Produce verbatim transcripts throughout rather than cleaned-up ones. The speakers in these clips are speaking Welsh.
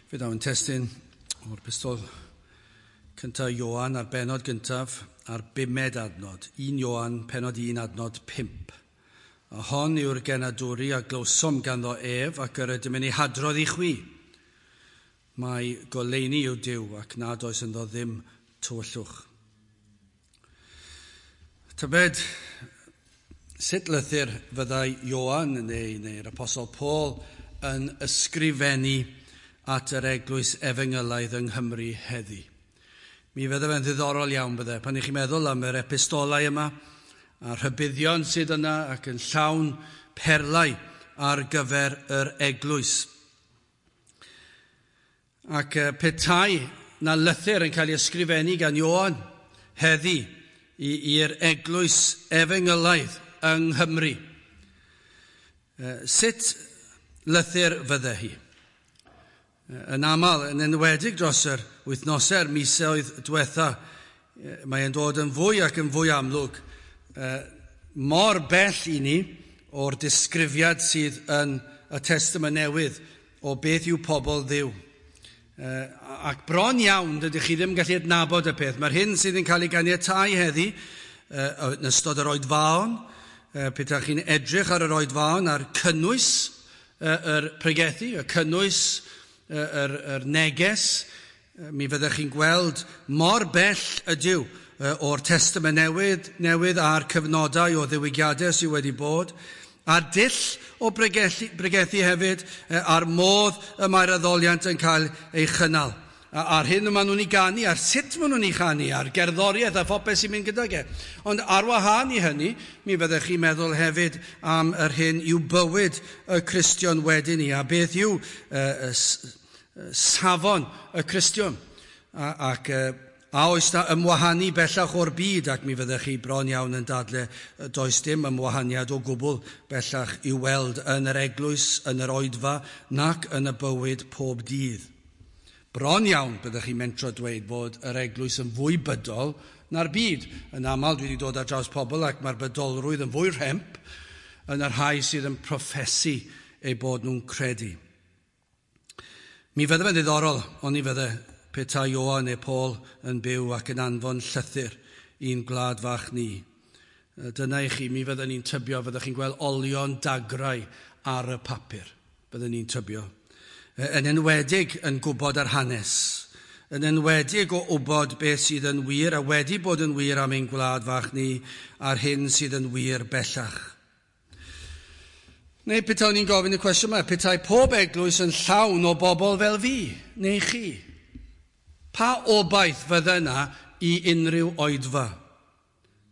Fe daw yn testun o'r pistol cyntaf Ioan a'r benod gyntaf a'r bumed adnod. un Ioan, penod un, adnod pump. A hon yw'r genadwri a glywsom ganddo ef ac yr ydym yn ei hadrodd i chwi. Mae goleuni yw Duw ac nad oes ynddo ddim tywyllwch. Tybed, sut lythyr fyddai Ioan neu, neu'r Apostol Paul yn ysgrifennu at yr eglwys efengylaidd yng Nghymru heddi? Mi fydde fe'n ddiddorol iawn bydde, pan i chi'n meddwl am yr epistolau yma, a'r rhybuddion sydd yna ac yn llawn perlau ar gyfer yr eglwys. Ac petai na lythyr yn cael ei ysgrifennu gan Ioan heddi i'r eglwys efengylaidd yng Nghymru, sut lythyr fydde hi? Yn aml, yn enwedig dros yr wythnosau'r misoedd diwetha, mae'n dod yn fwy ac yn fwy amlwg mor bell i ni o'r disgrifiad sydd yn y Testament Newydd o beth yw pobl Dduw. Ac bron iawn, dydych chi ddim yn gallu adnabod y peth. Mae'r hyn sydd yn cael ei ganiatáu heddi yn ystod yr oedfaon, petai chi'n edrych ar yr oedfaon a'r cynnwys yr pregethu, y cynnwys yr, yr neges, mi fyddech chi'n gweld mor bell ydyw o'r Testament Newydd, newydd a'r cyfnodau o ddiwygiadau sydd wedi bod, a'r dull o bregethu, bregethu hefyd, a'r modd y mae'r addoliant yn cael ei chynnal. A'r hyn y maen nhw'n ei ganu, a'r sut maen nhw'n ei chanu, a'r gerddoriaeth a phopeth sy'n mynd gydag e. Ond ar wahân i hynny, mi fyddech chi'n meddwl hefyd am yr hyn yw bywyd y Cristion wedyn ni, a beth yw uh, safon y Cristion. A, ac uh, a oes na ymwahanu bellach o'r byd, ac mi fyddech chi bron iawn yn dadle, does dim ymwahaniad o gwbl bellach i'w weld yn yr eglwys, yn yr oedfa, nac yn y bywyd pob dydd. Bron iawn byddech chi'n mentro dweud bod yr eglwys yn fwy bydol na'r byd. Yn aml dwi wedi dod ar draws pobl ac mae'r bydolrwydd yn fwy rhemp yn y rhai sydd yn proffesu eu bod nhw'n credu. Mi fydde fe'n ddiddorol, ond ni fydde petai Ioan neu Paul yn byw ac yn anfon llythyr i'n gwlad fach ni. Dyna i chi, mi fydden ni'n tybio, fyddech chi'n gweld olion dagrau ar y papur, fydden ni'n tybio. Yn enwedig yn gwybod yr hanes, yn enwedig o wybod beth sydd yn wir a wedi bod yn wir am ein gwlad fach ni a'r hyn sydd yn wir bellach. Neu petai ni'n gofyn y cwestiwn yma, petai pob eglwys yn llawn o bobl fel fi, neu chi, pa obaith fydde yna i unrhyw oedfa?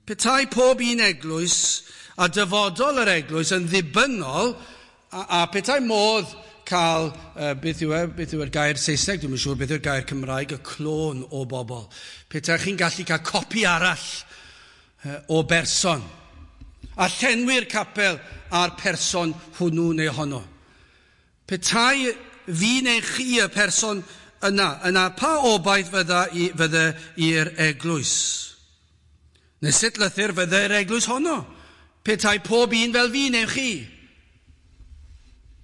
Petai pob un eglwys a dyfodol yr eglwys yn ddibynnol, a, a petai modd cael, uh, beth yw e, beth yw'r gair Saesneg, dwi'n siŵr beth yw'r gair Cymraeg, y clôn o bobl. Petai chi'n gallu cael copi arall uh, o berson, a llenwi'r capel a'r person hwnnw neu honno. Petai fi neu chi y person yna, yna pa obaith fydda i, fydde i'r eglwys? Neu sut lythyr fydde'r eglwys honno? Petai pob un fel fi neu chi?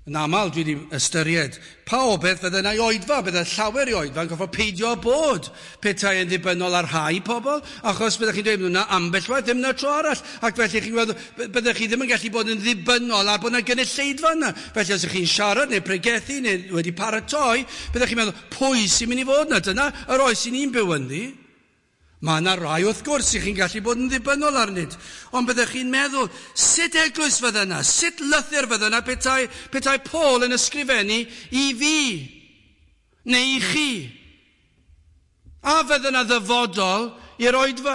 Yn aml dwi wedi ystyried pa obaith fydde yna i oedfa, bydde llawer i oedfa yn gorfod peidio bod petai yn ddibynnol ar rhai pobl, achos byddech chi'n dweud yna ambell waith, ddim yna tro arall, ac felly chi'n gweld, byddech chi ddim yn gallu bod yn ddibynnol ar bod yna gynulleidfa yna. Felly os ydych chi'n siarad neu pregethu neu wedi paratoi, byddech chi'n meddwl, pwy sy'n mynd i fod yna? Dyna yr oes sy'n ni'n byw ynddi. Mae yna rai wrth gwrs i chi'n gallu bod yn ddibynnol arnynt, ond byddech chi'n meddwl, sut eglwys fydde yna, sut lythyr fydde yna petai, petai Paul yn ysgrifennu i fi, neu i chi? A fydde yna ddyfodol i'r oedfa?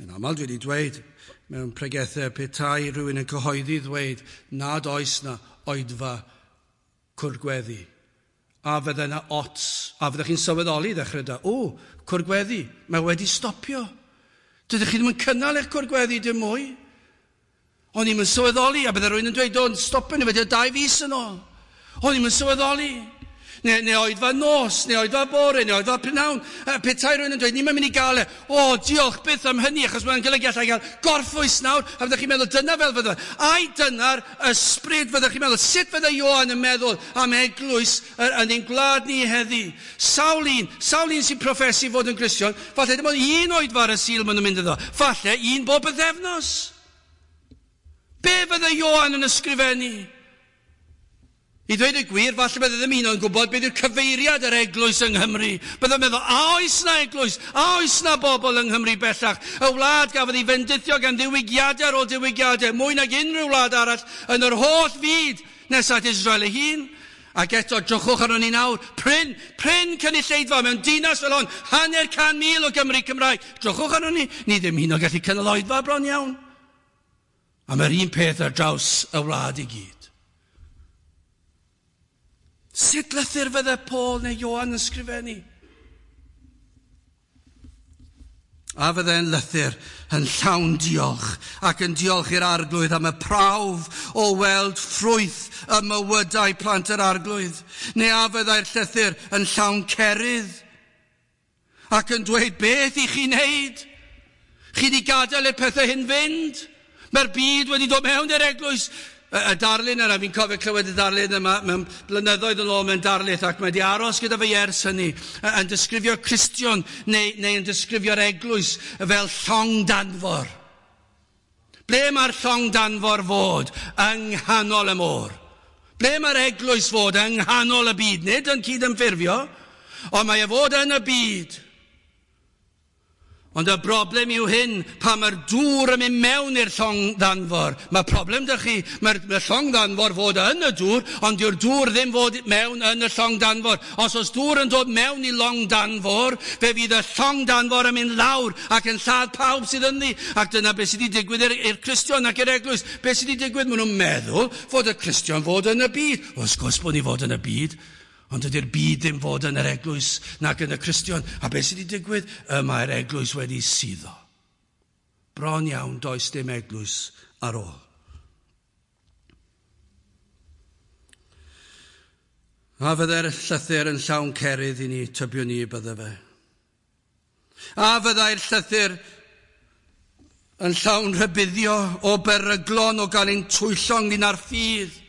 Yn aml dwi wedi dweud mewn pregethau petai rhywun yn cyhoeddi ddweud nad oes na oedfa cwrgweddi. A fydde yna ots, a fyddech chi'n sylweddoli ddechrau da, o, cwrgweddi, mae wedi stopio. Dydych chi ddim yn cynnal eich cwrgweddi dim mwy. O'n i'm yn sylweddoli, a bydde rhywun yn dweud, o'n stopio ni, wedi dau fis yn ôl. O'n i'm yn sylweddoli. Neu, neu oedfa nos, neu oedfa bore, neu oedfa prynhawn. Petai rhywun yn dweud, ni'n mynd i gael e. O, diolch byth am hynny, achos mae'n golygu allai gael gorffwys nawr. A fyddech chi'n meddwl, dyna fel fydde. Ai dyna'r ysbryd fyddech chi'n meddwl, sut fydde Ioan yn meddwl am eglwys yn ein gwlad ni heddi? Sawl un, sawl un sy'n proffesu fod yn Gristion, falle dim ond un oedfa ar y Sul maen nhw'n mynd iddo. Falle un bob bythefnos. Be fydde Ioan yn ysgrifennu? I ddweud y gwir, falle bydde ddim un o'n gwybod beth yw'r cyfeiriad yr eglwys yng Nghymru. Bydde'n meddwl, a oes na eglwys? A oes na bobl yng Nghymru bellach? Y wlad gafodd ei fendithio gan ddiwygiadau ar ôl diwygiadau, mwy nag unrhyw wlad arall yn yr holl fyd nes at Israel ei hun. Ac eto, drychwch arnon ni nawr, prin, prin cynulleidfa mewn dinas fel hon, hanner can mil o Gymru Cymraeg. Drychwch arnon ni, ni ddim hyn o gallu cynnal oedfa bron iawn. A mae'r un peth ar draws y wlad i gyd. Sut lythyr fydde Paul neu Ioan yn sgrifennu? A fydde'n lythyr yn llawn diolch ac yn diolch i'r Arglwydd am y prawf o weld ffrwyth y mywydau plant yr Arglwydd. Neu a fyddai'r llythyr yn llawn cerydd ac yn dweud beth i chi wneud? Chi di gadael i'r pethau hyn fynd? Mae'r byd wedi dod mewn i'r eglwys. Y darlun yna, fi'n cofio clywed y darlun yma mewn blynyddoedd yn ôl mewn darlith, ac mae wedi aros gyda fi ers hynny, yn disgrifio Cristion neu, neu yn disgrifio'r eglwys fel llong danfor. Ble mae'r llong danfor fod? Yng nghanol y môr. Ble mae'r eglwys fod? Yng nghanol y byd. Nid yn cydymffurfio, ond mae e fod yn y byd. Ond y broblem yw hyn, pan mae'r dŵr yn mynd mewn i'r llong ddanfor. Mae problem dych chi, mae'r mae llong ddanfor fod yn y dŵr, ond dyw'r dŵr ddim fod mewn yn y llong danfor. Os oes dŵr yn dod mewn i llong danfor, fe fydd y llong danfor yn mynd lawr ac yn lladd pawb sydd ynddi. Ac dyna beth sydd wedi digwydd i'r Cristion ac i'r eglwys. Beth sydd wedi digwydd? Maen nhw'n meddwl fod y Cristion fod yn y byd. Wrth gwrs bod ni fod yn y byd. Ond ydy'r byd ddim fod yn yr eglwys nac yn y Cristion. A beth sydd wedi digwydd? Y mae'r eglwys wedi suddo. Bron iawn does dim eglwys ar ôl. A fydde'r llythyr yn llawn cerydd i ni, tybio ni bydde fe. A fyddai'r llythyr yn llawn rhybuddio o beryglon o gael ein twyllo ynglyn â'r ffydd.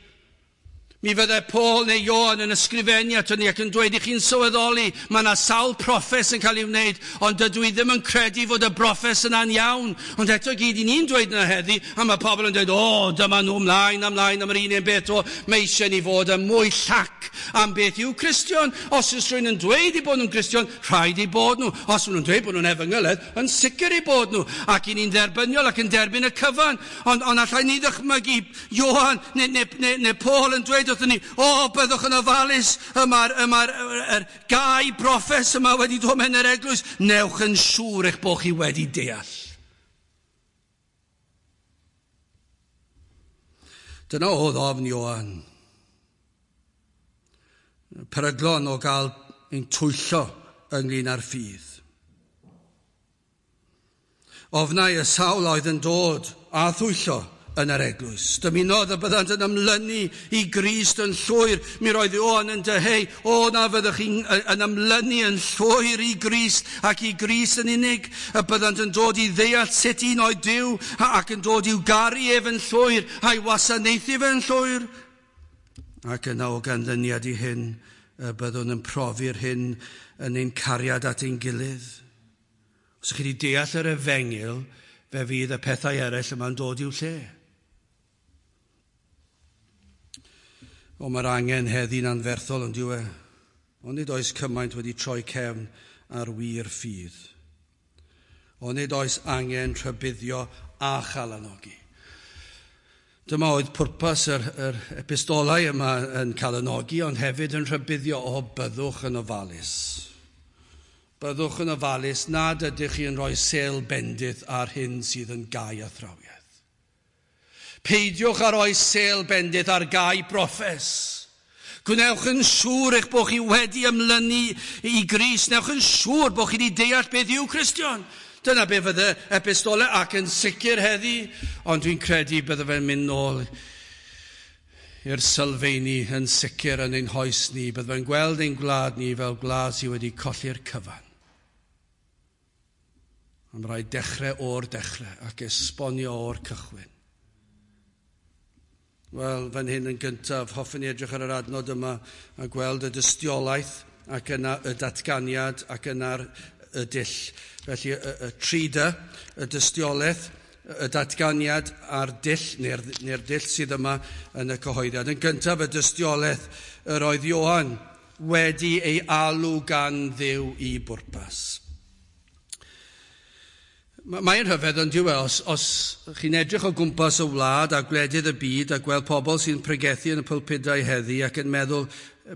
Mi fydde Paul neu Ioan yn ysgrifennu ato ni ac yn dweud i chi'n sylweddoli, mae yna sawl proffes yn cael ei wneud, ond dydw i ddim yn credu fod y broffes yna'n iawn. Ond eto gyd i ni'n dweud yna heddi, a mae pobl yn dweud, o, dyma nhw ymlaen, ymlaen am yr un un beth o, mae eisiau ni fod yn mwy llac am beth yw Cristion. Os oes rhywun yn dweud i bod nhw'n Cristion, rhaid i bod nhw. Os maen nhw'n dweud bod nhw'n efengyledd, yn sicr i bod nhw. Ac i ni'n dderbyniol ac yn derbyn y cyfan. Ond, ond allai ni ddychmygu Ioan neu, neu, neu, neu Paul yn dweud wrthyn ni, o, byddwch yn ofalus, y mae'r y mae'r, yr gau broffes yma wedi dod mewn yr eglwys, newch yn siŵr eich bod chi wedi deall. Dyna oedd ofn Ioan. Peryglon o gael ein twyllo ynglyn â'r ffydd. Ofnau y sawl oedd yn dod a thwyllo yn yr eglwys. Dymunodd y byddant yn ymlynu i Grist yn llwyr. Mi roedd Ioan yn dyheu, o na fyddwch chi'n yn ymlynu yn llwyr i Grist ac i Grist yn unig. Y byddant yn dod i ddeall sut un oedd Duw ac yn dod i'w garu ef yn llwyr a'i wasanaethu fe yn llwyr. Ac yna o ganlyniad i hyn, y byddwn yn profi'r hyn yn ein cariad at ein gilydd. Os ydych chi wedi deall yr efengyl, fe fydd y pethau eraill yma'n dod i'w lle. O, mae'r angen heddi'n anferthol yn dyw e. Ond nid oes cymaint wedi troi cefn ar wir ffydd. Ond nid oes angen rhybuddio a chalanogi. Dyma oedd pwrpas yr, yr epistolau yma yn calanogi, ond hefyd yn rhybuddio o byddwch yn ofalus. Byddwch yn ofalus nad ydych chi yn rhoi sêl bendith ar hyn sydd yn gau athrawiaeth. Peidiwch â rhoi sêl bendith ar gau broffes. Gwnewch yn siŵr eich bod chi wedi ymlynu i Grist. Newch yn siŵr bod chi wedi deall beth yw Cristion. Dyna be fydde epistolau ac yn sicr heddi, ond dwi'n credu bydde fe'n mynd nôl i'r sylfeini yn sicr yn ein hoes ni. Byddwn yn gweld ein gwlad ni fel gwlad sydd wedi colli'r cyfan. Am rhaid dechrau o'r dechrau ac esbonio o'r cychwyn. Wel, fan hyn yn gyntaf, hoffwn i edrych ar yr adnod yma a gweld y dystiolaeth ac yna y datganiad ac yna'r y dull. Felly, y, y tri dy, y dystiolaeth, y datganiad a'r dull, neu'r, neu'r dull sydd yma yn y cyhoeddiad. Yn gyntaf, y dystiolaeth, yr oedd Ioan wedi ei alw gan Dduw i bwrpas. Mae'n rhyfedd yn dyw e, os, os chi'n edrych o gwmpas y wlad a gwledydd y byd a gweld pobl sy'n pregethu yn y pulpudau heddi ac yn meddwl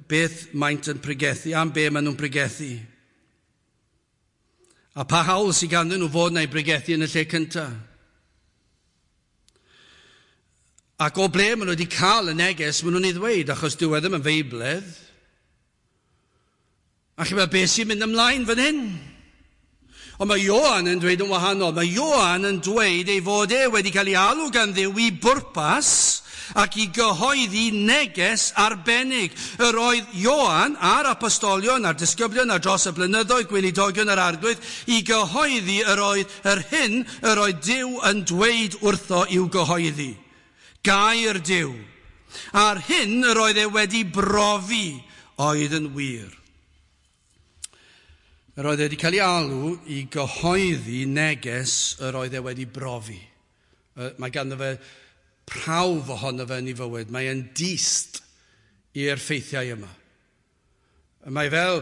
beth maent yn pregethu, am be maen nhw'n pregethu. A pa hawl sydd ganddyn nhw fod na'i pregethu yn y lle cyntaf. Ac o ble maen nhw wedi cael y neges, maen nhw'n ei ddweud, achos dyw e ddim yn feibledd. A chi'n meddwl, beth sy'n mynd ymlaen fan hyn? Ond mae Ioan yn dweud yn wahanol. Mae Ioan yn dweud ei fod e wedi cael ei alw gan Dduw i bwrpas ac i gyhoeddi neges arbennig. Yr oedd Ioan a'r apostolion a'r disgyblion ar dros y blynyddoedd gweinidogion yr Arglwydd i gyhoeddi yr oedd yr hyn yr oedd Duw yn dweud wrtho i'w gyhoeddi. Gair Duw. A'r hyn yr oedd e wedi brofi oedd yn wir. Yr oedd e wedi cael ei alw i gyhoeddi neges yr oedd e wedi brofi. Mae ganddo fe prawf ohono fe yn ei fywyd. Mae e'n dyst i'r ffeithiau yma. Mae fel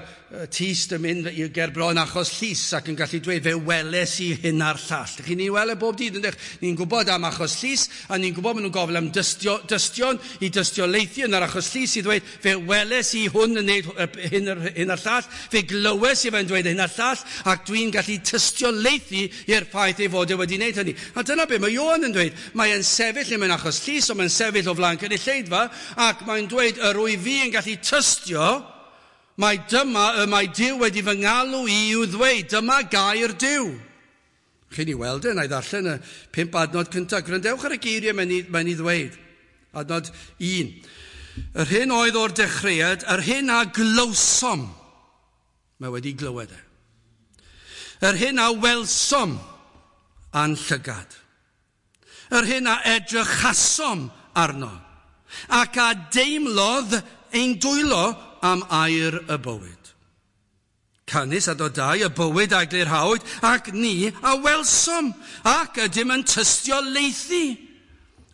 tyst yn mynd i gerbron achos llys ac yn gallu dweud fe weles i hyn a'r llall. Chi'n ei weld e bob dydd, yndych? Ni'n gwybod am achos llys a ni'n gwybod maen nhw'n gofyn am dystio, dystion i dystiolaethu yn yr achos llys i ddweud fe weles i hwn yn gwneud hyn, hyn a'r llall, fe glywes i fe'n dweud hyn a'r llall ac dwi'n gallu tystiolaethu i'r ffaith ei fod e wedi wneud hynny. A dyna be mae Ioan yn dweud. Mae e'n sefyll mewn achos llys, ond mae'n sefyll o flaen cynulleidfa ac mae'n dweud yr wyf fi yn gallu tystio Mae dyma y mae Duw wedi fy ngalw i i'w ddweud, dyma gair Duw. Chi'n ei weld e, na i ddarllen y pump adnod cyntaf. Gwrandewch ar y geiriau mae'n ei, mae'n ei ddweud. Adnod un. Yr hyn oedd o'r dechreuad, yr hyn a glywsom. Mae wedi glywed e. Yr hyn a welsom a'n llygad. Yr hyn a edrychasom arno. Ac a deimlodd ein dwylo am air y bywyd. Canys adnod dau, y bywyd a glirhawyd, ac ni a welsom, ac ydym yn tystiolaethu,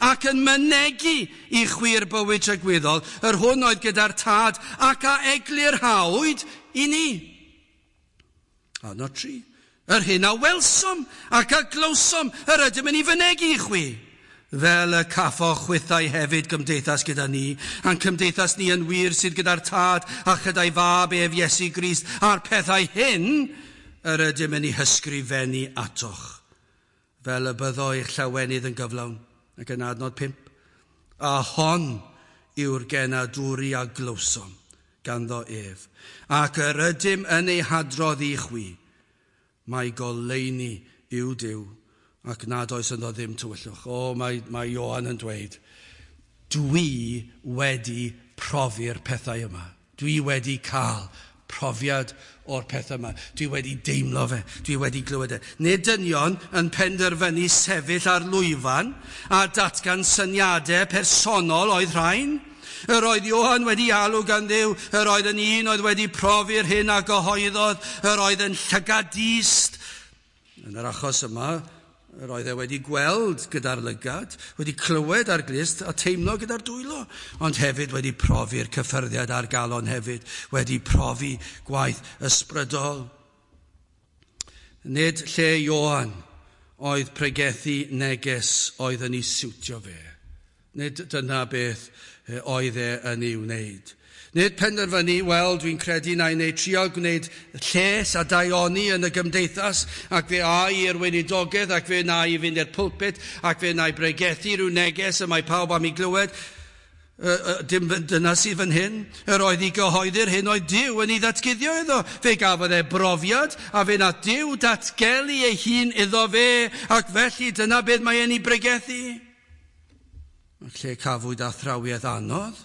ac yn mynegi i chwi'r bywyd tragwyddol, yr hwn oedd gyda'r tad, ac a eglurhawyd i ni. Adnod tri, yr hyn a welsom, ac a glywsom, yr ydym yn ei fynegi i chwi. Fel y caffo chwithau hefyd gymdeithas gyda ni, a'n cymdeithas ni yn wir sydd gyda'r tad a chyda'i fab ef Iesu Grist, a'r pethau hyn yr ydym yn ei hysgrifennu atoch, fel y byddo eich llawenydd yn gyflawn. Ac yn adnod pump, a hon yw'r genadwri a glywsom ganddo ef, ac yr ydym yn ei hadrodd i chwi, mae goleuni yw Duw, ac nad oes ynddo ddim tywyllwch. O, mae, mae Ioan yn dweud, dwi wedi profi'r pethau yma. Dwi wedi cael profiad o'r pethau yma. Dwi wedi deimlo fe. Dwi wedi glywed e. Nid dynion yn penderfynu sefyll ar lwyfan a datgan syniadau personol oedd rhain. Yr oedd Ioan wedi alw gan Dduw, yr oedd yn un oedd wedi profi'r hyn a gyhoeddodd, yr oedd yn llygadist. Yn yr achos yma, yr oedd e wedi gweld gyda'r lygad, wedi clywed ar glust a teimlo gyda'r dwylo, ond hefyd wedi profi'r cyffyrddiad a'r galon hefyd, wedi profi gwaith ysbrydol. Nid lle Ioan oedd pregethu neges oedd yn ei siwtio fe. Nid dyna beth oedd e yn ei wneud. Nid penderfynu, wel, dwi'n credu na i wneud trio gwneud lles a daioni yn y gymdeithas, ac fe ai i'r weinidogaeth, ac fe na i fynd i'r pulpit, ac fe na i bregethu rhyw neges y mae pawb am ei glywed. Dim dyna sydd fan hyn. Yr oedd i gyhoeddi'r hyn oedd Duw yn ei ddatguddio iddo. Fe gafodd e brofiad, a fe na Duw datgelu ei hun iddo fe, ac felly dyna beth mae e'n ei bregethu. Lle cafwyd athrawiaeth anodd,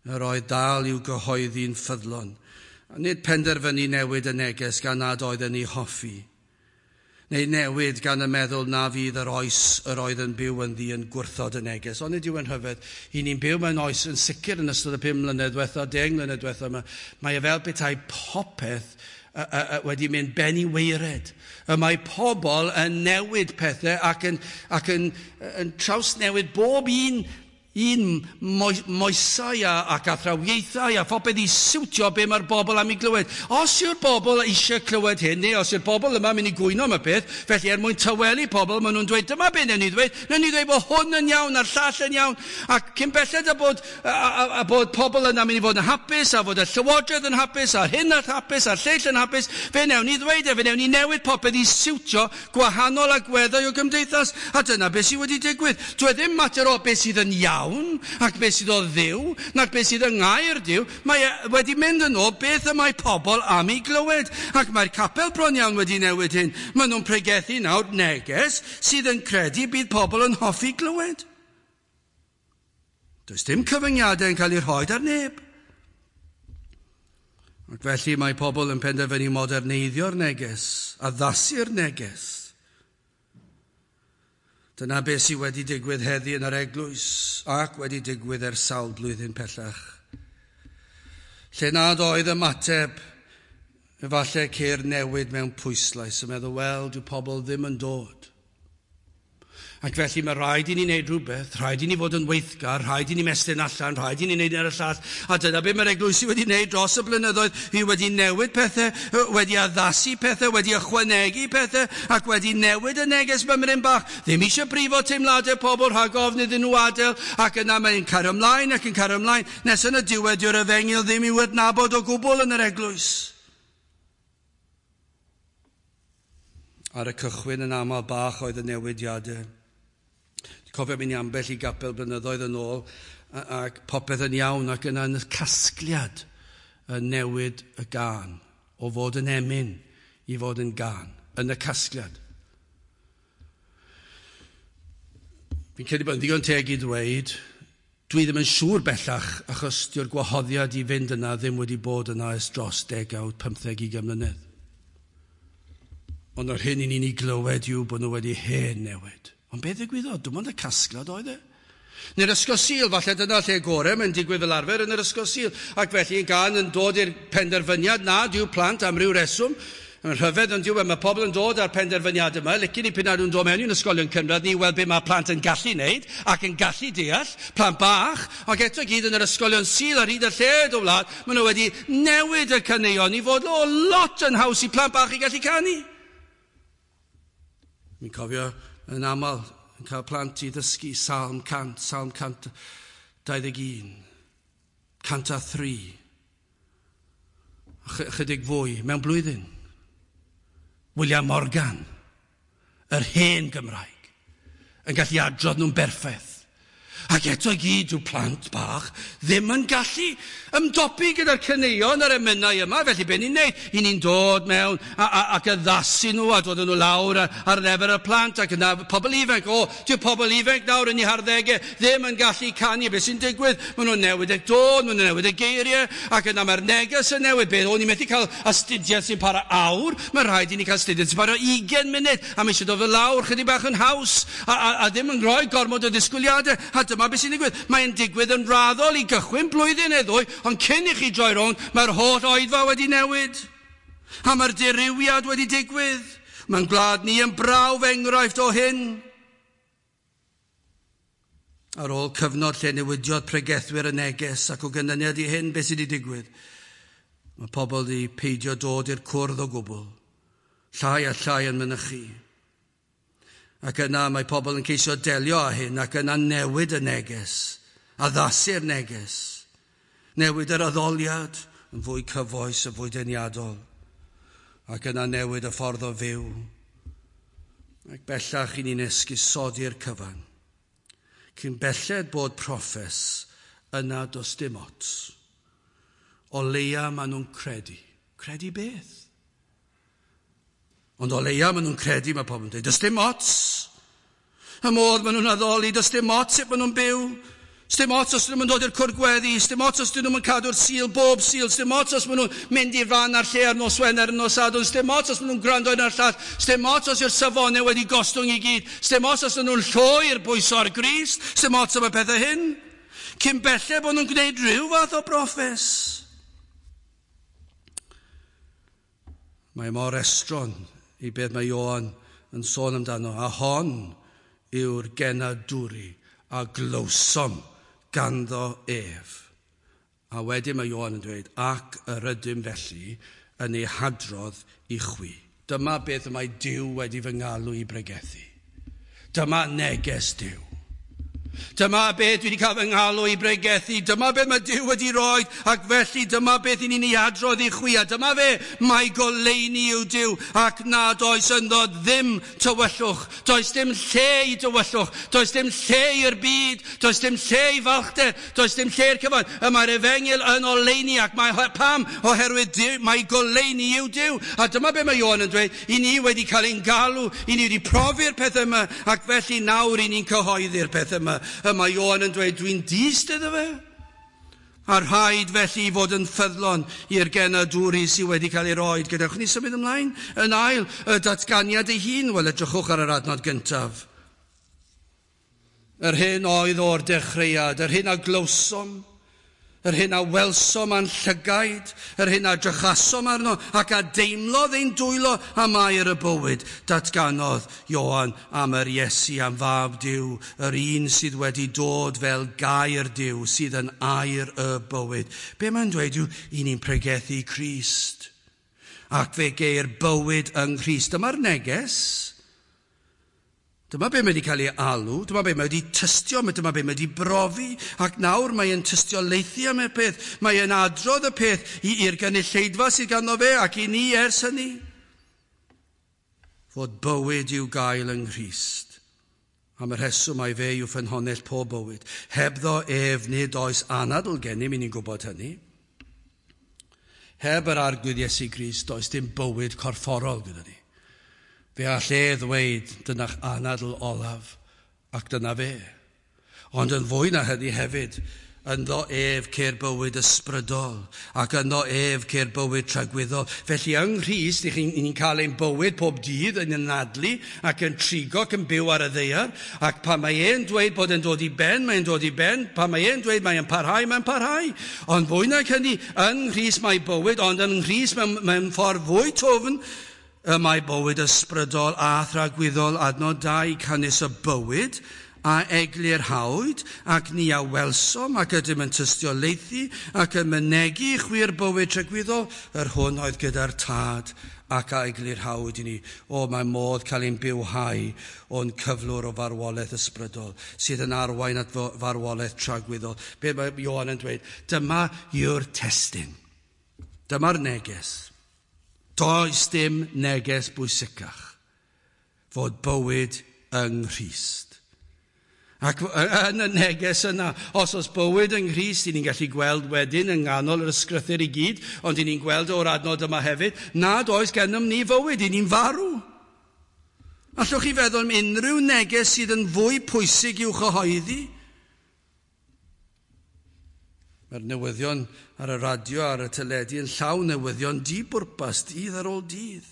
yr oedd dal i'w gyhoeddi'n ffyddlon. A nid penderfynu newid y neges gan nad oedd yn ei hoffi, neu newid gan y meddwl na fydd yr oes yr oedd yn byw ynddi yn gwrthod y neges. Ond nid yw yn rhyfedd. I ni'n byw mewn oes yn sicr yn ystod y pum mlynedd diwetha, deng mlynedd diwetha yma. Mae e fel petai popeth wedi mynd ben i waered. Y mae pobl yn newid pethau ac yn, ac yn, yn trawsnewid bob un un moesau a, ac athrawiaethau a phopeth i siwtio be mae'r bobl am ei glywed. Os yw'r bobl eisiau clywed hyn, neu os yw'r bobl yma mynd i gwyno am y peth, felly er mwyn tawelu pobl, maen nhw'n dweud, dyma be newn ni ddweud, newn ni ddweud bod hwn yn iawn a'r llall yn iawn, ac cyn belled a bod, a, a, a bod pobl yna mynd i fod yn hapus, a fod y llywodraeth yn hapus, a'r hyn yn hapus, a'r lleill yn hapus, fe newn ni ddweud e, fe newn ni newid popeth i siwtio gwahanol agweddau o gymdeithas, a dyna beth sydd wedi digwydd. Dwi ddim mater o beth sydd yn iawn, ac beth sydd o Dduw, nac beth sydd yng ngair Duw, mae e wedi mynd yn ôl beth y mae pobl am ei glywed. Ac mae'r capel bron iawn wedi newid hyn. Maen nhw'n pregethu nawr neges sydd yn credu bydd pobl yn hoffi glywed. Does dim cyfyngiadau yn cael eu rhoi ar neb. Ac felly mae pobl yn penderfynu moderneiddio'r neges, addasu'r neges. Dyna beth sydd wedi digwydd heddi yn yr eglwys ac wedi digwydd ers sawl blwyddyn pellach. Lle nad oedd ymateb, efallai ceir newid mewn pwyslais yn meddwl, wel, dyw pobl ddim yn dod. Ac felly mae rhaid i ni wneud rhywbeth, rhaid i ni fod yn weithgar, rhaid i ni mestyn allan, rhaid i ni wneud ar y llall. A dyna beth mae'r eglwysi wedi wneud dros y blynyddoedd. Hi wedi newid pethau, wedi addasu pethau, wedi ychwanegu pethau, ac wedi newid y neges mymryn bach. Ddim eisiau brifo teimladau pobl rhag ofn iddyn nhw adael, ac yna mae'n cario ymlaen ac yn cario ymlaen, nes yn y diwedd dyw'r efengyl ddim i'w adnabod o gwbl yn yr eglwys. Ar y cychwyn yn aml bach oedd y newidiadau. Cofio mynd i ambell i gapel blynyddoedd yn ôl ac popeth yn iawn ac yna yn y casgliad yn newid y gân o fod yn emyn i fod yn gân, yn y casgliad. Fi'n credu bod yn ddigon teg i ddweud, dwi ddim yn siŵr bellach achos dyw'r gwahoddiad i fynd yna ddim wedi bod yna ers dros degawd, pymtheg, ugain mlynedd. Ond yr hyn i ni'n ei glywed yw bod nhw wedi hen newid. Ond beth ddigwyddodd? Dim ond y casgliad oedd e. Neu'r ysgol Sul, falle dyna lle gorau, mae'n digwydd fel arfer yn yr ysgol Sul. Ac felly yn gan yn dod i'r penderfyniad na dyw plant am ryw reswm. Mae'n rhyfedd ond dyw e, mae pobl yn dod â'r penderfyniad yma. Licen i pan nhw'n dod mewn i'n ysgolion cynradd, ni weld beth mae plant yn gallu wneud ac yn gallu deall, plant bach. Ac eto gyd yn yr ysgolion Sul ar hyd y lled o wlad, maen nhw wedi newid y caneuon i fod o lot yn haws i plant bach i gallu canu. Mi'n cofio yn aml yn cael plant i ddysgu Salm cant, Salm cant dau ddeg un, cant a thri, chydig fwy mewn blwyddyn. William Morgan, yr hen Gymraeg, yn gallu adrodd nhw'n berffaith. Ac eto i gyd yw plant bach ddim yn gallu ymdopi gyda'r caneuon a'r emynau yma. Felly be ni'n neud? I ni'n dod mewn a, a, ac addasu nhw a dod nhw lawr ar, ar lefel y plant ac yna pobl ifanc. O, dyw pobl ifanc nawr yn eu harddegau ddim yn gallu canu. Be sy'n digwydd? Maen nhw'n newid y dôn, maen nhw'n newid y geiriau ac yna mae'r neges yn newid. Be, o'n i'n methu cael astudiaeth sy'n para awr, mae rhaid i ni cael astudiaeth sy'n para ugain munud a mae eisiau dod fel lawr chydig bach yn haws a, a, a ddim yn rhoi gormod o ddisgwyliadau. A dyma beth sy'n digwydd. Mae'n digwydd yn raddol i gychwyn blwyddyn neu ddwy, ond cyn i chi droi rownd, mae'r holl oedfa wedi newid. A mae'r dirywiad wedi digwydd. Mae'n gwlad ni yn brawf enghraifft o hyn. Ar ôl cyfnod lle newidiodd pregethwyr y neges ac o ganlyniad i hyn, beth sydd wedi digwydd? Mae pobl wedi peidio dod i'r cwrdd o gwbl. Llai a llai yn mynychu. Ac yna mae pobl yn ceisio delio â hyn ac yna newid y neges, addasu'r neges, newid yr addoliad yn fwy cyfoes, yn fwy deniadol, ac yna newid y ffordd o fyw. Ac bellach i ni'n esgusodi'r cyfan. Cyn belled bod proffes, yna does dim ots. O leia maen nhw'n credu. Credu beth? Ond o leia maen nhw'n credu, mae pobl yn dweud, does dim ots. Y modd maen nhw'n addoli, does dim ots sut maen nhw'n byw. Sdim ots os nhw'n dod i'r cwrdd gweddi, sdim ots os nhw'n cadw'r Sul bob Sul, sdim ots os maen nhw'n mynd i'r fan a'r lle ar nos Wener, nos Sadwrn, sdim ots os maen nhw'n gwrando un a'r llall, sdim ots os yw'r safonau wedi gostwng i gyd, sdim ots os nhw'n llwyr bwyso ar Grist, sdim ots am y pethau hyn. Cyn belled bod nhw'n gwneud rhyw fath o broffes. Mae mor estron i beth mae Ioan yn sôn amdano, a hon yw'r genadwri a glywsom ganddo ef. A wedyn mae Ioan yn dweud, ac yr ydym felly yn ei hadrodd i chwi. Dyma beth y mae Duw wedi fy ngalw i bregethu. Dyma neges Duw. Dyma beth dwi wedi cael fy ngalw i bregethu, dyma beth mae Duw wedi roi, ac felly dyma beth i ni'n ei adrodd i chwi, a dyma fe, mae goleuni yw Duw, ac nad oes ynddo ddim tywyllwch, does dim lle i dywyllwch, does dim lle i'r byd, does dim lle i falchder, does dim lle i'r cyfan. Y mae'r efengyl yn oleuni, ac mae pam, oherwydd Duw, mae goleuni yw Duw. A dyma beth mae Ioan yn dweud, i ni wedi cael ein galw, i ni wedi profi'r pethau yma, ac felly nawr i ni'n cyhoeddi'r pethau yma. Y mae Ioan yn dweud, dwi'n dyst iddo fe. A rhaid felly i fod yn ffyddlon i'r genadwri sydd wedi cael ei roed. Gadewch ni symud ymlaen. Yn ail, y datganiad ei hun. Wel, edrychwch ar yr adnod gyntaf. Yr hyn oedd o'r dechreuad, yr hyn a glywsom, yr hyn a welsom a'n llygaid, yr hyn a drychasom arno, ac a deimlodd ein dwylo am air y bywyd. Datganodd Ioan am yr Iesu, am fab Duw, yr un sydd wedi dod fel gair Duw, sydd yn air y bywyd. Be mae'n dweud yw, i ni'n pregethu Crist, ac fe geir bywyd yng Nghrist. Dyma'r neges. Dyma be mae wedi cael ei alw, dyma be mae wedi tystio, dyma be mae wedi brofi, ac nawr mae'n tystiolaethu am y peth, mae'n adrodd y peth i'r gynulleidfa sydd ganddo fe ac i ni ers hynny. Fod bywyd i'w gael yng Nghrist. Am y rheswm mai fe yw ffynhonnell pob bywyd. Hebddo ef nid oes anadl gennym, i ni'n gwybod hynny. Heb yr Arglwydd Iesu Grist, does dim bywyd corfforol gyda ni. Fe all e ddweud, dyna'ch anadl olaf, ac dyna fe. Ond yn fwy na hynny hefyd, ynddo ef ceir bywyd ysbrydol, ac ynddo ef ceir bywyd tragwyddol. Felly yng Nghrist, ni'n cael ein bywyd pob dydd yn anadlu ac yn trigo ac yn byw ar y ddaear, ac pan mae e'n dweud bod e'n dod i ben, mae'n dod i ben, pan mae e'n dweud mae'n parhau, mae'n parhau. Ond fwy na hynny, yng Nghrist mae bywyd, ond yng Nghrist mewn, mewn ffordd fwy twfn, y mae bywyd ysbrydol a thragwyddol. Adnod dau, canys y bywyd a eglurhawyd, ac ni a welsom, ac ydym yn tystiolaethu, ac yn mynegi chwi'r bywyd tragwyddol, yr hwn oedd gyda'r Tad, ac a eglurhawyd i ni. O, mae modd cael ein bywhau o'n cyflwr o farwolaeth ysbrydol, sydd yn arwain at farwolaeth tragwyddol. Be mae Ioan yn dweud? Dyma yw'r testun. Dyma'r neges. Does dim neges bwysicach fod bywyd yng Nghrist. Ac yn y neges yna, os oes bywyd yng Nghrist, ni'n gallu gweld wedyn yng nghanol yr ysgrythur i gyd, ond ni'n gweld o'r adnod yma hefyd, nad oes gennym ni fywyd, ni'n farw. Allwch chi feddwl am unrhyw neges sydd yn fwy pwysig i'w chyhoeddi? Mae'r newyddion ar y radio, ar y teledu yn llawn newyddion di-bwrpas, dydd ar ôl dydd.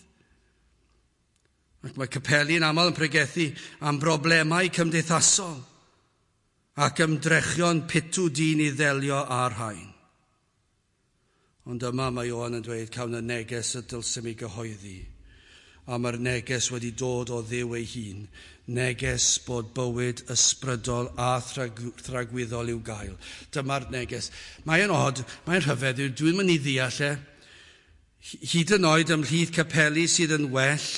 Ac mae capeli yn aml yn pregethu am broblemau cymdeithasol ac ymdrechion pitw dyn i ddelio â'r rhain. Ond yma mae Ioan yn dweud, cawn y neges y dylsem i gyhoeddi. A mae'r neges wedi dod o Dduw ei hun, neges bod bywyd ysbrydol a thragwyddol i'w gael. Dyma'r neges. Mae'n od, mae'n rhyfedd, dwi'n mynd i ddeall e. Hyd yn oed ymhlith capeli sydd yn well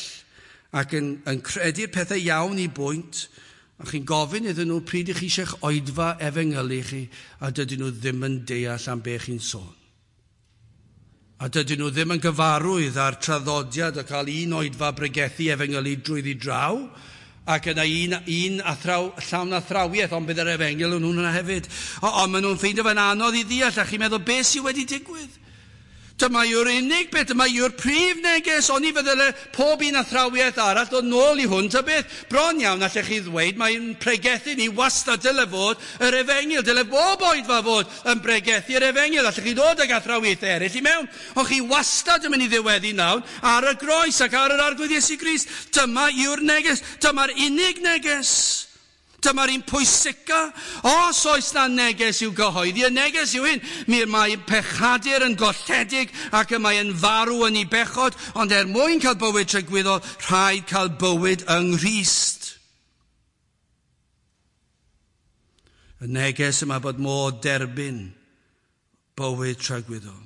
ac yn, yn credu'r pethau iawn i bwynt, a chi'n gofyn iddyn nhw pryd i chi eisiau'ch oedfa efengylu chi, a dydyn nhw ddim yn deall am be chi'n sôn. A dydyn nhw ddim yn gyfarwydd â'r traddodiad o cael un oedfa bregethu efengylu drwyddi draw, ac yna un, un athraw, llawn athrawiaeth, ond bydd yr efengyl yn hwnna hefyd. Ond maen nhw'n ffeindio fe'n anodd i ddeall, a chi'n meddwl, beth sydd wedi digwydd? Dyma yw'r unig beth, dyma yw'r prif neges, oni fyddai pob un athrawiaeth arall dod nôl i hwn, ta beth, bron iawn allech chi ddweud, mae'n pregethu ni wastad dyle fod yr efengyl, dyle bob oedfa fod yn pregethu yr efengyl, allech chi ddod ag athrawiaethau eraill i mewn, ond chi wastad yn mynd i ddiweddu nawr ar y groes ac ar yr Arglwydd Iesu Grist. Dyma yw'r neges, dyma'r unig neges. Dyma'r un pwysica. Os oes na neges i'w gyhoeddi, y neges yw hyn. Mi mae pechadur yn golledig ac y mae yn farw yn ei bechod, ond er mwyn cael bywyd tragwyddol, rhaid cael bywyd yng Nghrist. Y neges yma bod modd derbyn bywyd tragwyddol.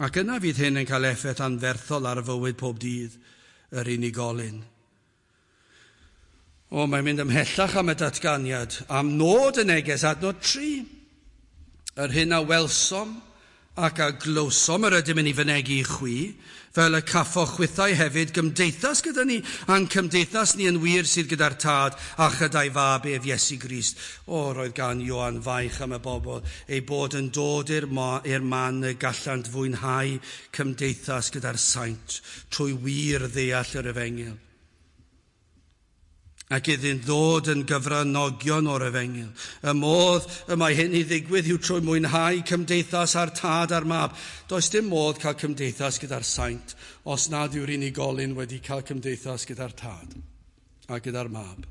Ac yna fydd hyn yn cael effaith anferthol ar fywyd pob dydd yr unigolyn. O, mae'n mynd ymhellach am y datganiad, am nod y neges, adnod tri. Yr hyn a welsom ac a glywsom yr ydym yn ei fynegi i chwi, fel y caffoch chwithau hefyd gymdeithas gyda ni, a'n cymdeithas ni yn wir sydd gyda'r Tad a chyda'i fab ef Iesu Grist. O, roedd gan Ioan faich am y bobl, ei bod yn dod i'r man y gallant fwynhau cymdeithas gyda'r saint trwy wir ddeall yr efengyl. Ac iddynt ddod yn gyfranogion o'r efengyl. Y modd y mae hyn i ddigwydd yw trwy mwynhau cymdeithas â'r Tad a'r Mab. Does dim modd cael cymdeithas gyda'r saint os nad yw'r unigolyn wedi cael cymdeithas gyda'r Tad a gyda'r Mab.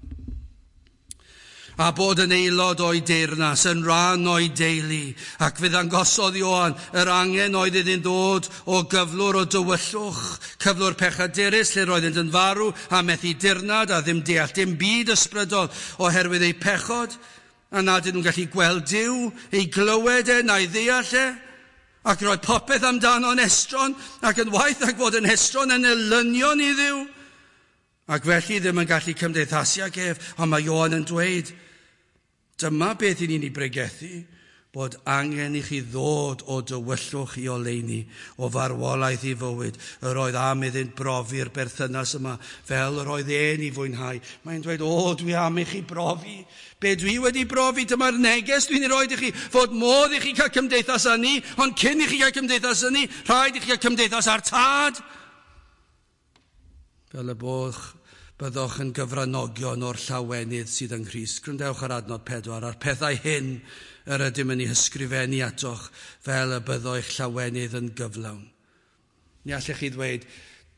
A bod yn aelod o'i deyrnas, yn rhan o'i deulu, ac fe ddangosodd Ioan yr angen oedd iddynt ddod o gyflwr o dywyllwch, cyflwr pechadurus lle roeddynt yn farw a methu dirnad a ddim deall dim byd ysbrydol oherwydd eu pechod, a nad ydyn nhw'n gallu gweld Duw, ei glywed e na'i ddeall e, ac roedd popeth amdano'n estron, ac yn waith ac fod yn estron yn elynion i Dduw, ac felly ddim yn gallu cymdeithasu ag ef, ond mae Ioan yn dweud, dyma beth i ni'n ei bregethu, bod angen i chi ddod o dywyllwch i oleuni, o farwolaeth i fywyd. Yr oedd am iddynt brofi'r berthynas yma, fel yr oedd e'n ei fwynhau. Mae'n dweud, o, dwi am i chi brofi. Be dwi wedi brofi, dyma'r neges dwi'n ei roed i chi, fod modd i chi cael cymdeithas â ni, ond cyn i chi cael cymdeithas â ni, rhaid i chi cael cymdeithas â'r Tad. Fel y boch byddwch yn gyfranogion o'r llawenydd sydd yng Nghrist. Gwrandewch ar adnod pedwar, a'r pethau hyn yr ydym yn ei hysgrifennu atoch fel y byddo eich llawenydd yn gyflawn. Ni allech chi ddweud,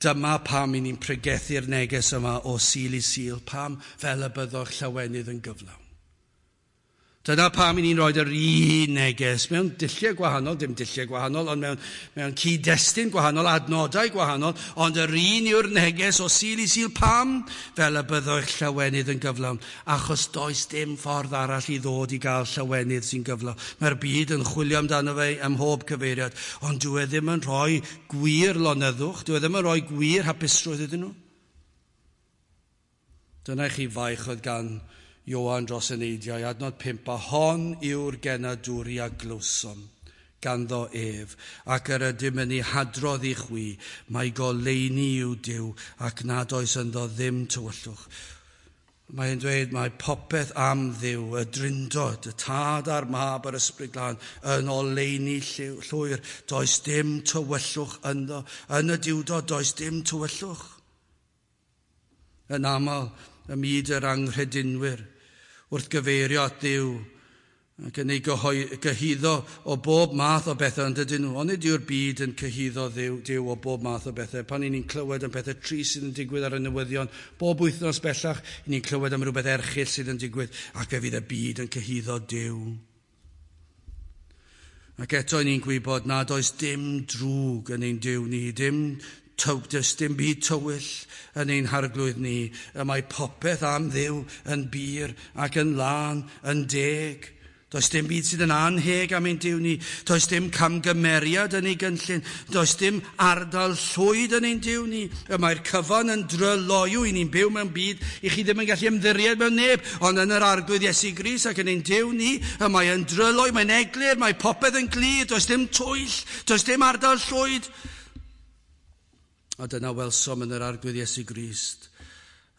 dyma pam i ni'n pregethu'r neges yma o Sul i Sul, pam fel y byddo eich llawenydd yn gyflawn. Dyna pam i ni'n rhoi yr un neges mewn dulliau gwahanol, dim dulliau gwahanol, ond mewn, mewn cyd-destun gwahanol, adnodau gwahanol, ond yr un yw'r neges o Sul i Sul. Pam? Fel y byddo eich llawenydd yn gyflawn, achos does dim ffordd arall i ddod i gael llawenydd sy'n gyflawn. Mae'r byd yn chwilio amdano fe ym mhob cyfeiriad, ond dyw e ddim yn rhoi gwir lonyddwch, dyw e ddim yn rhoi gwir hapusrwydd iddyn nhw. Dyna i chi faich oedd gan Ioan dros eneidiau, adnod pump, a hon yw'r genadwri a glywsom ganddo ef, ac yr ydym yn ei hadrodd i chwi, mae goleuni yw Duw, ac nad oes ynddo ddim tywyllwch. Mae'n dweud mae popeth am Dduw, y Drindod, y Tad a'r Mab a'r Ysbryd Glân, yn oleuni llwyr, does dim tywyllwch ynddo. Yn y Duwdod, does dim tywyllwch. Yn aml, ym myd yr anghredinwyr, wrth gyfeirio at Dduw ac yn ei gyhuddo o bob math o bethau, ond ydyn nhw. Onid yw'r byd yn cyhuddo Dduw, Duw o bob math o bethau? Pan ni'n clywed am pethau trist sydd yn digwydd ar y newyddion, bob wythnos bellach, ni'n clywed am rhywbeth erchyll sydd yn digwydd, ac fe fydd y byd yn cyhuddo Duw. Ac eto ni'n gwybod nad oes dim drwg yn ein Duw ni, dim does dim byd tywyll yn ein harglwydd ni. Y mae popeth am Dduw yn bur ac yn lân, yn deg. Does dim byd sydd yn anheg am ein Duw ni. Does dim camgymeriad yn ei gynllun. Does dim ardal llwyd yn ein Duw ni. Y mae'r cyfan yn dryloyw i ni'n byw mewn byd i chi ddim yn gallu ymddiried mewn neb, ond yn yr Arglwydd Iesu Grist ac yn ein Duw ni, y mae yn dryloyw, mae'n eglur, mae popeth yn glir, does dim twyll, does dim ardal llwyd. A dyna welsom yn yr Arglwydd Iesu Grist.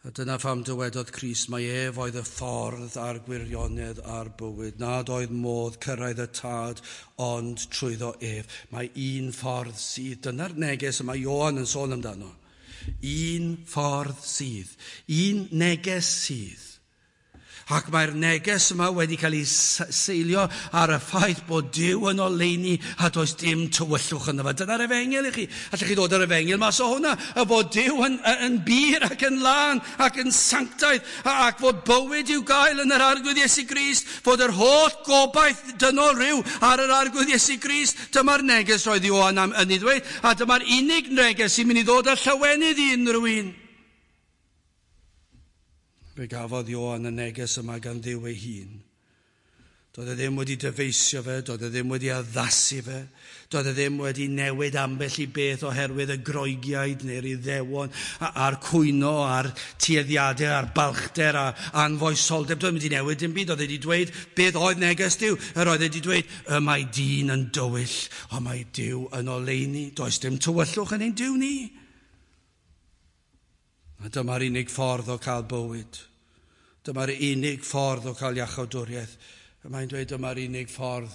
A dyna pham dywedodd Crist mai ef oedd y ffordd a'r gwirionedd a'r bywyd, nad oedd modd cyrraedd y Tad ond trwyddo ef. Mae un ffordd sydd. Dyna'r neges y mae Ioan yn sôn amdano. Un ffordd sydd. Un neges sydd. Ac mae'r neges yma wedi cael ei seilio ar y ffaith bod Duw yn oleuni a does dim tywyllwch ynddo fe. Dyna'r efengyl i chi. Allwch chi ddod ar efengyl mas o hwnna. Y bod Duw yn, yn bur ac yn lân ac yn sanctaidd ac fod bywyd i'w gael yn yr Arglwydd Iesu Grist. Fod yr holl gobaith dynol rhyw ar yr Arglwydd Iesu Grist. Dyma'r neges roedd Ioan am yn ei ddweud. A dyma'r unig neges sy'n mynd i ddod â llawenydd i unrhyw un. Fe gafodd Ioan y neges yma gan Dduw ei hun. Doedd e ddim wedi dyfeisio fe, doedd e ddim wedi addasu fe, doedd e ddim wedi newid ambell i beth oherwydd y Groegiaid neu'r Iddewon a'r cwyno a'r tueddiadau a'r balchder a anfoesoldeb. Doedd e wedi newid dim byd, doedd e wedi dweud beth oedd neges Duw. Yr oedd e wedi dweud, y mae dyn yn dywyll, ond mae Duw yn oleuni. Does dim tywyllwch yn ein Duw ni. A dyma'r unig ffordd o cael bywyd. Dyma'r unig ffordd o cael iachawdwriaeth. Mae'n dweud dyma'r unig ffordd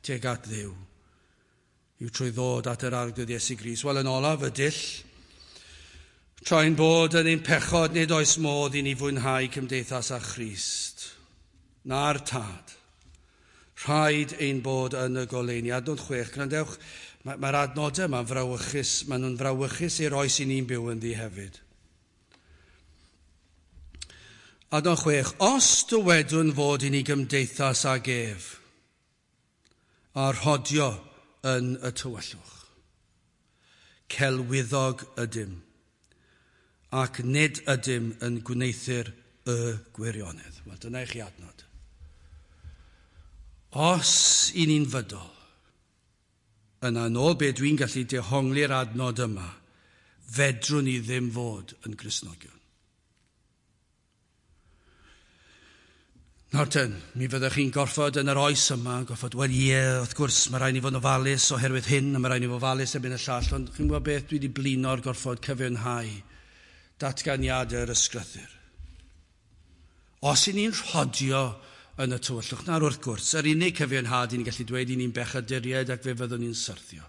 tuag at Dduw. Yw trwy ddod at yr Arglwydd Iesu Grist. Wel, yn olaf y dull, tra'n bod yn ein pechod, nid oes modd i ni fwynhau cymdeithas â Christ. Na'r Tad. Rhaid ein bod yn y goleuni. Adnod chwech, gwrandewch, mae'r adnodau yma'n frawychus, maen nhw'n frawychus i'r oes i ni'n byw ynddi hefyd. Adnod chwech, os dywedwn fod i ni gymdeithas ag ef, a rhodio yn y tywyllwch, celwyddog ydym, ac nid ydym yn gwneuthur y gwirionedd. Wel, dyna i chi adnod. Os i ni'n fydol, yna yn ôl be dwi'n gallu dehongli'r adnod yma, fedrwn ni ddim fod yn Gristnogion. Nawr ten, mi fyddwch chi'n gorfod yn yr oes yma, gorfod, wel ie, wrth gwrs, mae rhaid ni fod yn ofalus oherwydd hyn, a mae rhaid ni fod ofalus erbyn y llall, ond chi'n gwybod beth, dwi wedi blino'r gorfod cyfiawnhau datganiadau'r ysgrythur. Os i ni'n rhodio yn y tywyllwch, nawr wrth gwrs, yr unig cyfiawnhad i ni'n gallu dweud i ni'n bechaduriaid ac fe fyddwn ni'n syrthio.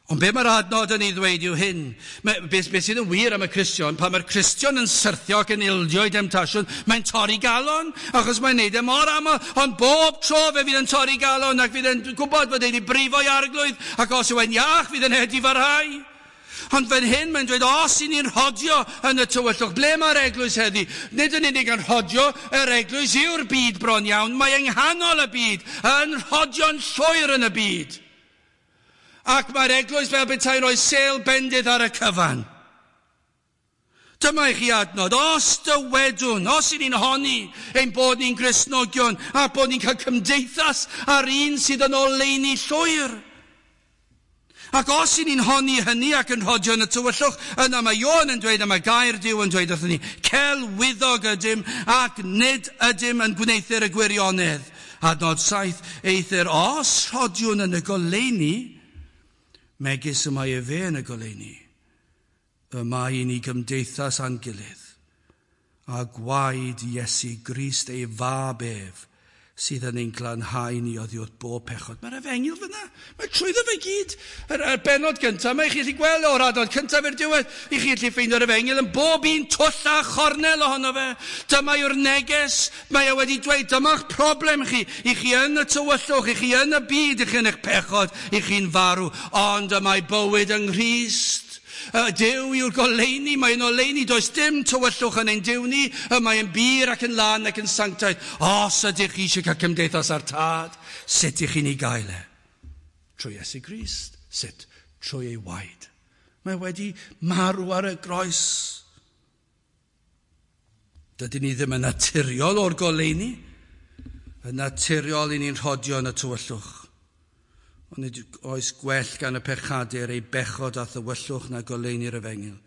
Ond be mae'r adnod yn ei ddweud yw hyn. Be, be sydd yn wir am y Cristion, pan mae'r Cristion yn syrthio ac yn ildio i demtasiwn, mae'n torri galon, achos mae'n neud e mor aml, ond bob tro fe fydd yn torri galon ac fydd yn gwybod fod e wedi brifo i Arglwydd, ac os yw e'n iach fydd yn edifarhau. Ond fan hyn mae'n dweud, os i ni'n rhodio yn y tywyllwch, ble mae'r eglwys heddi? Nid yn unig yn rhodio, yr eglwys yw'r byd bron iawn, mae yng nghanol y byd, yn rhodio'n llwyr yn y byd. Ac mae'r eglwys fel petai'n rhoi sêl bendith ar y cyfan. Dyma i chi adnod, os dywedwn, os i ni'n honni ein bod ni'n Gristnogion a bod ni'n cael cymdeithas ar un sydd yn oleuni llwyr. Ac os i ni'n honni hynny ac yn rhodio yn y tywyllwch, yna mae Ioan yn dweud, a mae gair Duw yn dweud wrthyn ni, celwyddog ydym ac nid ydym yn gwneuthur y gwirionedd. Adnod saith, eithr os rhodiwn yn y goleuni, megis y mae efe yn y goleuni, y mae i ni gymdeithas â'n gilydd, a gwaed Iesu Grist ei fab ef, sydd yn ein glanhau ni oddi wrth bob pechod. Mae'r efengyl fyna, mae trwyddo fe gyd. Yr, yr bennod gyntaf, mae chi allu gweld o'r adnod cyntaf i'r diwedd, i chi allu ffeindio'r efengyl yn bob un twll a chornel ohono fe. Dyma yw'r neges, mae e wedi dweud, dyma'ch problem chi, i chi yn y tywyllwch, i chi yn y byd, i chi yn eich pechod, i chi'n farw, ond y mae bywyd yng Nghrist. Duw yw'r goleuni, mae'n oleuni, does dim tywyllwch yn ein Duw ni, y mae'n bur ac yn lân ac yn sanctaidd. Os ydych chi eisiau cael cymdeithas â'r Tad, sut ych chi'n ei gael e? Trwy Iesu Grist. Sut? Trwy ei waed. Mae wedi marw ar y groes. Dydyn ni ddim yn naturiol o'r goleuni. Yn naturiol i ni'n rhodio yn y tywyllwch. Ond nid oes gwell gan y pechadur ei bechod a thywyllwch na goleuni'r efengyl.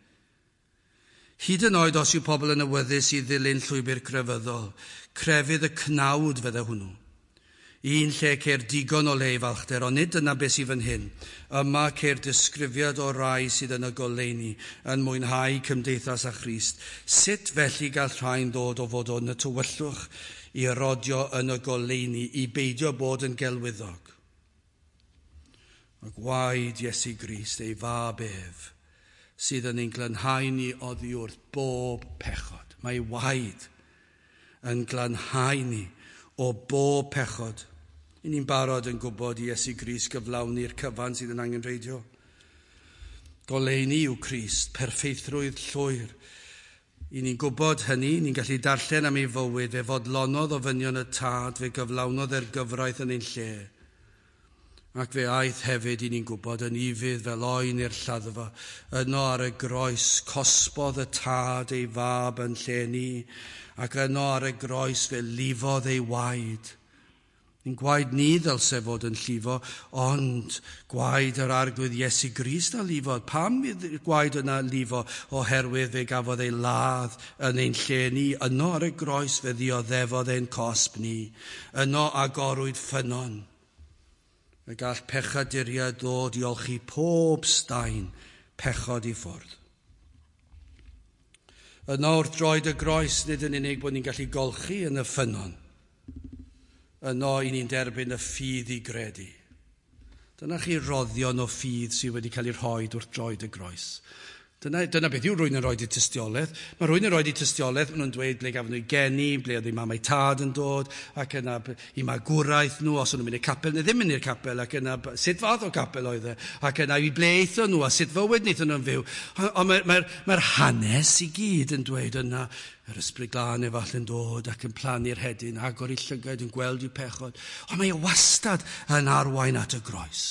Hyd yn oed os yw pobl yn awyddus i ddilyn llwybr crefyddol, crefydd y cnawd fydde hwnnw. Un lle ceir digon o le i falchder, ond nid dyna beth sydd fan hyn. Yma ceir disgrifiad o rai sydd yn y goleuni, yn mwynhau cymdeithas â Christ. Sut felly gall rhain ddod o fod yn y tywyllwch i rodio yn y goleuni, i beidio bod yn gelwyddog? Mae gwaed Iesu Grist, ei fab ef, sydd yn ein glanhau ni oddi wrth bob pechod. Mae waed yn glanhau ni o bob pechod. I ni'n barod yn gwybod i Iesu Grist gyflawni'r cyfan sydd yn angenrheidiol. Goleuni yw Crist, perffeithrwydd llwyr. I ni'n gwybod hynny, ni'n gallu darllen am ei fywyd, fe fodlonodd ofynion y tad, fe gyflawnodd e'r gyfraith yn ein lle. Ac fe aeth hefyd, i ni'n gwybod, yn ufudd fel oen i'r lladdfa. Yno ar y groes, cosbodd y tad ei fab yn lle ni, ac yno ar y groes fe lifodd ei waed. Ein gwaed ni ddylse fod yn llifo, ond gwaed yr Arglwydd Iesu Grist a lifodd. Pam gwaed yna lifo? Oherwydd fe gafodd ei ladd yn ein lle ni. Yno ar y groes fe ddioddefodd ein cosb ni. Yno agorwyd ffynnon. Y gall pechaduriaid ddod i olchi pob staen pechod i ffwrdd. Yno wrth droed y groes, nid yn unig bod ni'n gallu golchi yn y ffynnon. Yno i ni'n derbyn y ffydd i gredu. Dyna chi roddion o ffydd sydd wedi cael ei rhoi wrth droed y groes. Dyna, dyna beth yw rhywun yn rhoi i tystiolaeth. Mae rhywun yn rhoi i tystiolaeth, maen nhw'n dweud ble gafon nhw geni, ble oedd eu mam a'u tad yn dod, ac yna i magwraeth nhw, os o'n nhw'n mynd i'r capel neu ddim mynd i'r capel, ac yna sut fath o capel oedd e, ac yna i ble aethon nhw, a sut fywyd wnaethon nhw'n fyw. Ond mae'r mae, mae hanes i gyd yn dweud yna, yr Ysbryd Glân efallai'n dod ac yn plannu'r hedyn, agor ei llygaid yn gweld i'w pechod. Ond mae e wastad yn arwain at y groes.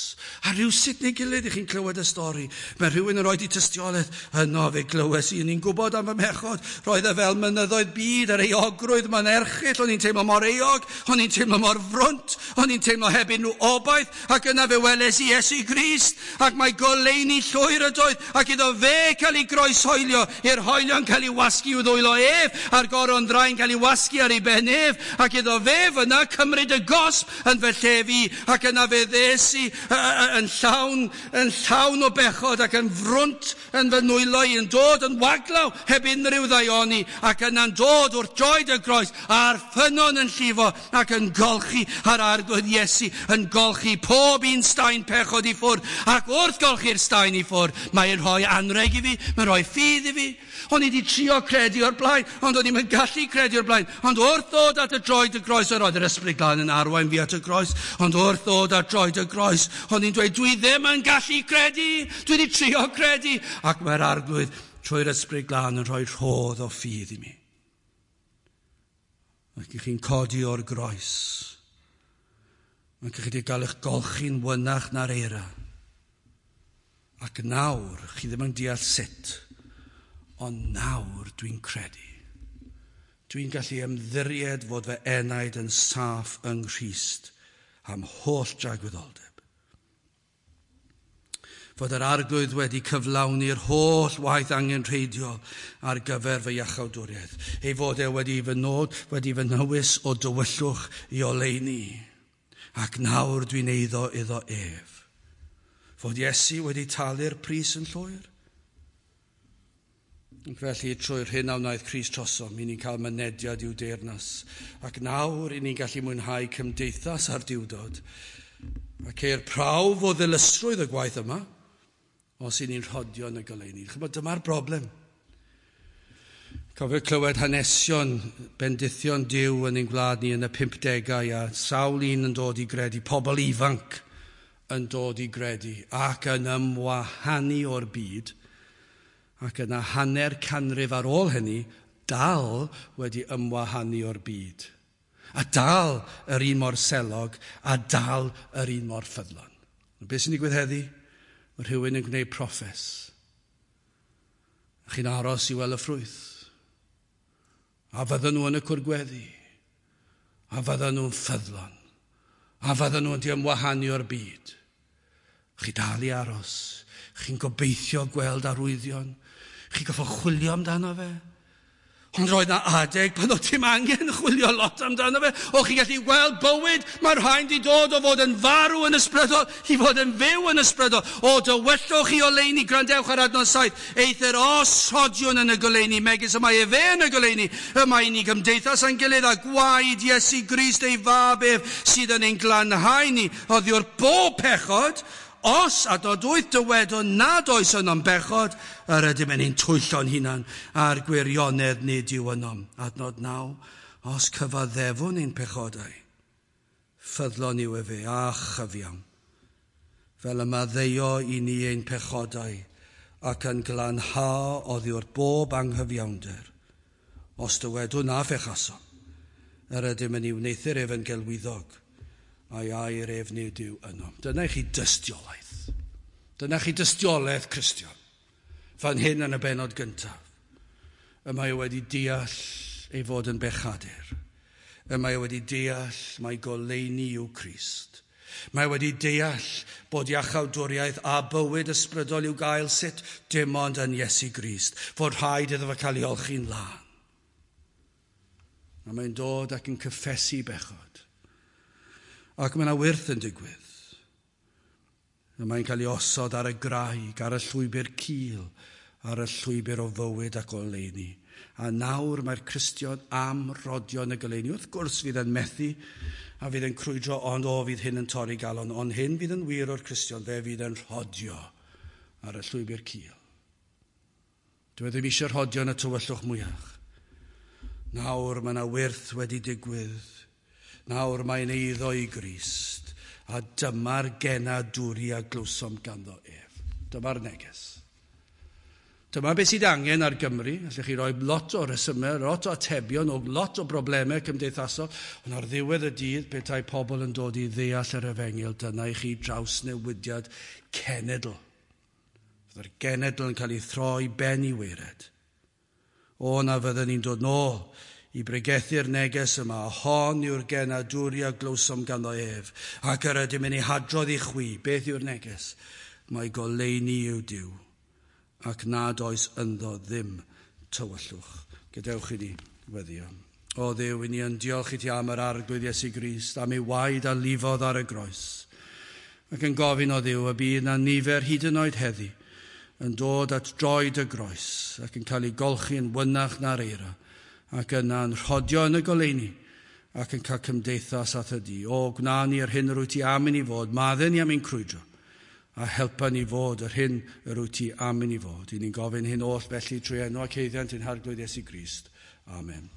A rhywsut neu gilydd i chi'n clywed y stori. Mae rhywun yn rhoi i tystiolaeth, yno fe glywes i, ni'n gwybod am fy mhechod. Roedd e fel mynyddoedd byd ar euogrwydd, mae'n erchyll, o'n i'n teimlo mor euog, o'n i'n teimlo mor frwnt, o'n i'n teimlo heb unrhyw obaith, ac yna fe weles i Iesu Grist, ac mae goleuni llwyr ydoedd, ac iddo fe cael ei groeshoelio, i'r hoelion cael ei wasgu i'w ddwylo ef, a'r goron ddrai'n cael ei wasgu ar ei ben ef, ac iddo fe fyna cymryd y gosb yn fy lle fi, ac yna fe ddes i yn llawn, yn llawn o bechod ac yn frwnt yn fy nwylo i, yn dod yn waglaw heb unrhyw ddaioni, ac yna'n dod wrth droed y groes, a'r ffynnon yn llifo ac yn golchi ar Arglwydd Iesu, yn golchi pob un staen pechod i ffwrdd, ac wrth golchi'r staen i ffwrdd, mae'n rhoi anrheg i fi, mae'n rhoi ffydd i fi. O'n i wedi trio credu o'r blaen, ond o'n i'n gallu credu o'r blaen. Ond wrth ddod at y droed y groes, yr oedd yr Ysbryd Glân yn arwain fi at y groes, ond wrth ddod at droed y groes, o'n i'n dweud, dwi ddim yn gallu credu, dwi wedi trio credu. Ac mae'r Arglwydd trwy'r Ysbryd Glân yn rhoi rhodd o ffydd i mi. Ac i chi'n codi o'r groes. Ac i chi wedi gael eich golchi'n wynach na'r eira. Ac nawr, chi ddim yn deall sut, ond nawr dwi'n credu. Dwi'n gallu ymddiried fod fy enaid yn saff yng Nghrist am holl dragwyddoldeb. Fod yr Arglwydd wedi cyflawni'r holl waith angenrheidiol ar gyfer fy iachawdwriaeth. Ei fod e wedi fy nod, wedi fy nywys o dywyllwch i oleuni. Ac nawr dwi'n eiddo iddo ef. Fod Iesu wedi talu'r pris yn llwyr. Ac felly, trwy'r hyn a wnaeth Crist trosom, i ni'n cael mynediad i'w deyrnas. Ac nawr, i ni'n gallu mwynhau cymdeithas a'r Duwdod. Ac ceir prawf o ddilysrwydd y gwaith yma, os i ni'n rhodio yn y goleuni. Chymod, dyma'r broblem. Cofio clywed hanesion bendithion Duw yn ein gwlad ni yn y pumpdegau, a sawl un yn dod i gredu, pobl ifanc yn dod i gredu, ac yn ymwahanu o'r byd, ac yna hanner canrif ar ôl hynny, dal wedi ymwahanu o'r byd. A dal yr un mor selog, a dal yr un mor ffyddlon. Beth sy'n digwydd heddi? Mae rhywun yn gwneud proffes. A chi'n aros i weld y ffrwyth. A fydden nhw yn y cwrgweddi. A fydden nhw'n ffyddlon. A fydden nhw'n di ymwahanu o'r byd. Chi dal i aros. Chi'n gobeithio gweld arwyddion. Chi'n goffo chwilio amdano fe. Ond roedd na adeg pan oedd dim angen chwilio lot amdano fe. O chi'n gallu gweld bywyd, mae'r rhain di dod o fod yn farw yn ysbrydol i fod yn fyw yn ysbrydol. O dywyllwch i oleuni, gwrandewch ar adnod saith. Eithr os rhodiwn yn y goleuni, megis y mae efe yn y goleuni, y mae ni gymdeithas â'n gilydd a gwaed Iesu Grist ei fab ef sydd yn ein glanhau ni oddi wrth bob pechod. Os adnod wyth dywedwn nad oes ynom bechod, yr ydym yn ein twyllo'n hunan a'r gwirionedd nid yw ynom. Adnod naw, os cyfaddefwn ein pechodau, ffyddlon yw efe a chyfiawn, fel y maddeuo i ni ein pechodau ac yn glanhau oddi wrth bob anghyfiawnder. Os dywedwn na fechasom, yr ydym yn ei wneuthur ef yn gelwyddog, a'i air ef nid yw yno. Dyna i chi dystiolaeth. Dyna chi dystiolaeth Cristion. Fan hyn yn y bennod gyntaf. Y mae wedi deall ei fod yn bechadur. Y mae wedi deall mai goleuni yw Crist. Mae wedi deall bod iachawdwriaeth a bywyd ysbrydol i'w gael sut dim ond yn Iesu Grist. Fod rhaid iddo fe cael ei olchi'n lân. A mae'n dod ac yn cyffesu bechod. Ac mae yna wyrth yn digwydd. A mae'n cael ei osod ar y graig, ar y llwybr cul, ar y llwybr o fywyd ac oleuni. A nawr mae'r Cristion am rodio yn y goleuni. Wrth gwrs fydd yn methu a fydd yn crwydro, ond o fydd hyn yn torri galon. Ond hyn fydd yn wir o'r Cristion, fe fydd yn rhodio ar y llwybr cul. Dwi ddim eisiau rhodio yn y tywyllwch mwyach. Nawr mae yna wyrth wedi digwydd. Nawr mae'n eiddo i Grist, a dyma'r genadwri a glywsom ganddo ef. Dyma'r neges. Dyma beth sydd angen ar Gymru. Allwch chi roi lot o resymau, lot o atebion, o lot o broblemau cymdeithasol, ond ar ddiwedd y dydd, petai pobl yn dod i ddeall yr efengyl, dyna i chi drawsnewidiad cenedl. Fydda'r genedl yn cael ei throi ben i waered. O, na fydden ni'n dod nôl i bregethu'r neges yma, hon yw'r genadwri a glywsom ganddo ef, ac yr ydym yn ei hadrodd i chwi. Beth yw'r neges? Mae goleuni yw Duw, ac nad oes ynddo ddim tywyllwch. Gadewch i ni weddio. O Dduw, i ni yn diolch i ti am yr Arglwydd Iesu Grist, am ei waed a lifodd ar y groes. Ac yn gofyn o Dduw y bydd na nifer hyd yn oed heddi yn dod at droed y groes ac yn cael ei golchi yn wynach na'r eira, ac yna'n rhodio yn y goleuni ac yn cael cymdeithas â thydi. O, gwna ni yr hyn yr wyt ti am i ni fod, madde ni am ein crwydro, a helpa ni fod yr hyn yr wyt ti am i ni fod. I ni'n gofyn hyn oll felly trwy enw ac haeddiant ein Harglwydd Iesu Grist. Amen.